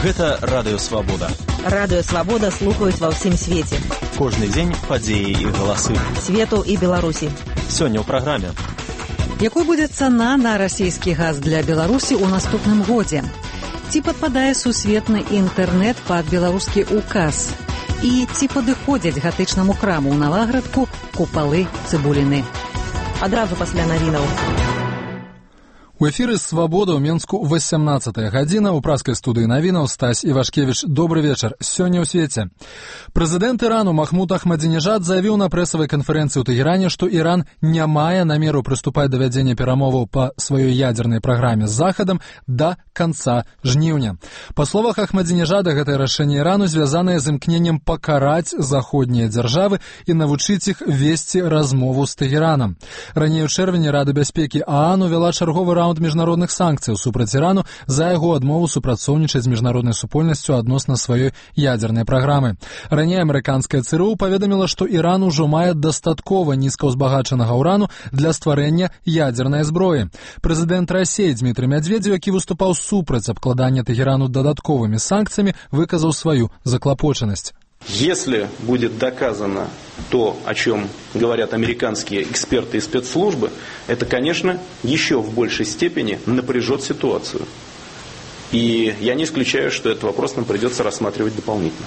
Гэта Радыё Свабода. Радыё Свабода слухаюць ва ўсім свеце. Кожны дзень падзеі і галасы. Свету і Беларусі. Сёння ў праграме. Якой будзе цана на расійскі газ для Беларусі ў наступным годзе? Ці падпадае сусветны інтэрнэт пад беларускі указ? І ці падыходзяць гатычнаму храму ў Наваградку купалы цыбуліны? Адразу пасля навінаў. У эфіры «Свабода» ў Менску 18 гадзіна. У праскай студыі навінаў Стась Івашкевіч. Добры вечар. Сёння ў свеце. Прэзідэнт Ірану Махмуд Ахмадзінежад заявіў на прэсавай канферэнцыі ў Тэгеране, што Іран не мае намеру прыступаць да вядзення перамоваў па сваёй ядзернай праграме з Захадам да канца жніўня. Па словах Ахмадзінежада, гэтае рашэнне Ірану звязанае з імкненнем пакараць заходнія дзяржавы і навучыць іх весці размову з Тэгеранам. Раней у чэрвені Рада бяспекі ААН увяла чарговы раунд міжнародных санкцыяў супраць Ірану за яго адмову супрацоўнічаць з міжнароднай супольнасцю адносна сваёй ядзернай праграмы. Раней амерыканская ЦРУ паведаміла, што Іран ужо мае дастаткова нізкаўзбагачанага ўрану для стварэння ядзернай зброі. Прэзідэнт Расіі Дмітрый Медведзеў, які выступаў супраць абкладання Тэгерану дадатковымі санкцыямі, выказаў сваю заклапочанасць. Если будет доказано то, о чем говорят американские эксперты и спецслужбы, это, конечно, еще в большей степени напряжет ситуацию. И я не исключаю, что этот вопрос нам придется рассматривать дополнительно.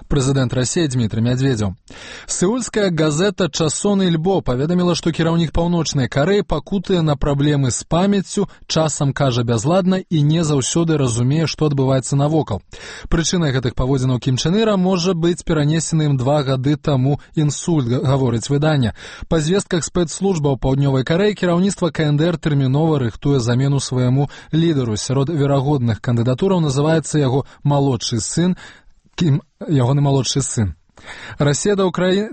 Прэзідэнт Расіі Дмітрый Медведзеў. Сеульская газета «Часон Ільбо» паведаміла, што кіраўнік Паўночнай Карэі пакутае на праблемы з памяццю, часам кажа бязладна і не заўсёды разумее, што адбываецца навокал. Прычынай гэтых паводзінаў Кім Чен Іра можа быць перанесены ім 2 гады таму інсульт, гаворыць выданне. Па звестках спецслужбаў Паўднёвай Карэі кіраўніцтва КНДР тэрмінова рыхтуе замену свайму лідару. Сярод верагодных кандыдатураў называецца яго малодшы сын, ягоны малодшы сын. Расія да Ўкраіны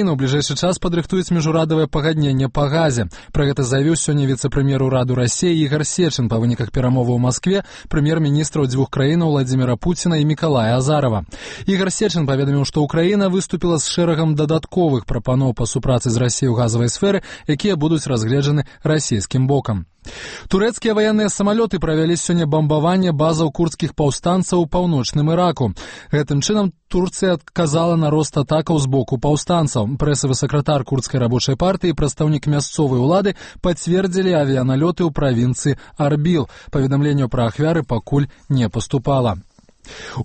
ў бліжэйшы час падрыхтуюць міжурадавае пагадненне па газе. Пра гэта заявіў сёння віцэ-прэм'ер ураду Расіі Ігар Сечин па выніках перамоваў у Маскве прэм'ер-міністраў 2 краінаў Владзіміра Пуціна і Мікалая Азарова. Ігар Сечин паведаміў, што Ўкраіна выступіла з шэрагам дадатковых прапаноў па супрацы з Расіяй у газавай сферы, якія будуць разгледжаны расійскім бокам. Турэцкія ваенныя самалёты правялі сёння бамбаванне базаў курдскіх паўстанцаў у паўночным Іраку. Гэтым чынам Турцыя адказала на рост атакаў з боку паўстанцаў. Прэсавы сакратар курдскай рабочай партыі і прадстаўнік мясцовай улады пацвердзілі авіяналёты ў правінцыі Арбіл. Паведамленняў пра ахвяры пакуль не паступала.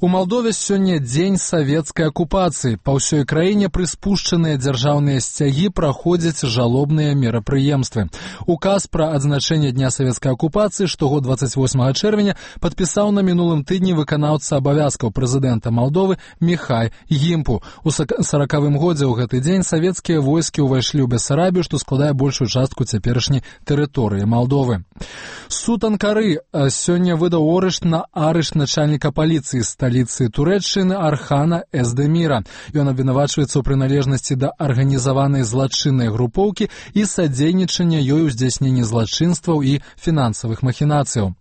У Малдове сёння дзень савецкай акупацыі. Па ўсёй краіне прыспушчаныя дзяржаўныя сцягі праходзяць жалобныя мерапрыемствы. Указ пра адзначэнне дня савецкай акупацыі штогод 28 чэрвеня падпісаў на мінулым тыдні выканаўца абавязкаў прэзідэнта Малдовы Міхай Гімпу. У 40-м годзе ў гэты дзень савецкія войскі ўвайшлі ў Бесарабію, што складае большую частку цяперашняй тэрыторыі Малдовы. Суд Анкары сёння выдаў арышт начальніка паліцыі сталіцы Турэччыны Архана Эздеміра. Ён абвінавачваецца ў прыналежнасці да арганізаванай злачыннай групоўкі і садзейнічання ёй у здзяйсненні злачынстваў і фінансавых махінацыяў.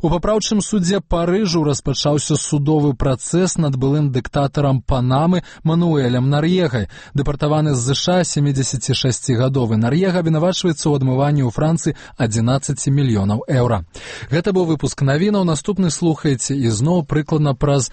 У папраўчым судзе Парыжу распачаўся судовы працэс над былым дыктатарам Панамы Мануэлем Нар'егай. Дэпартаваны з ЗША 76-гадовы Нар'ега абвінавачваецца ў адмыванні ў Францыі 11 мільёнаў еўра. Гэта быў выпуск навінаў. Наступны слухаеце ізноў прыкладна праз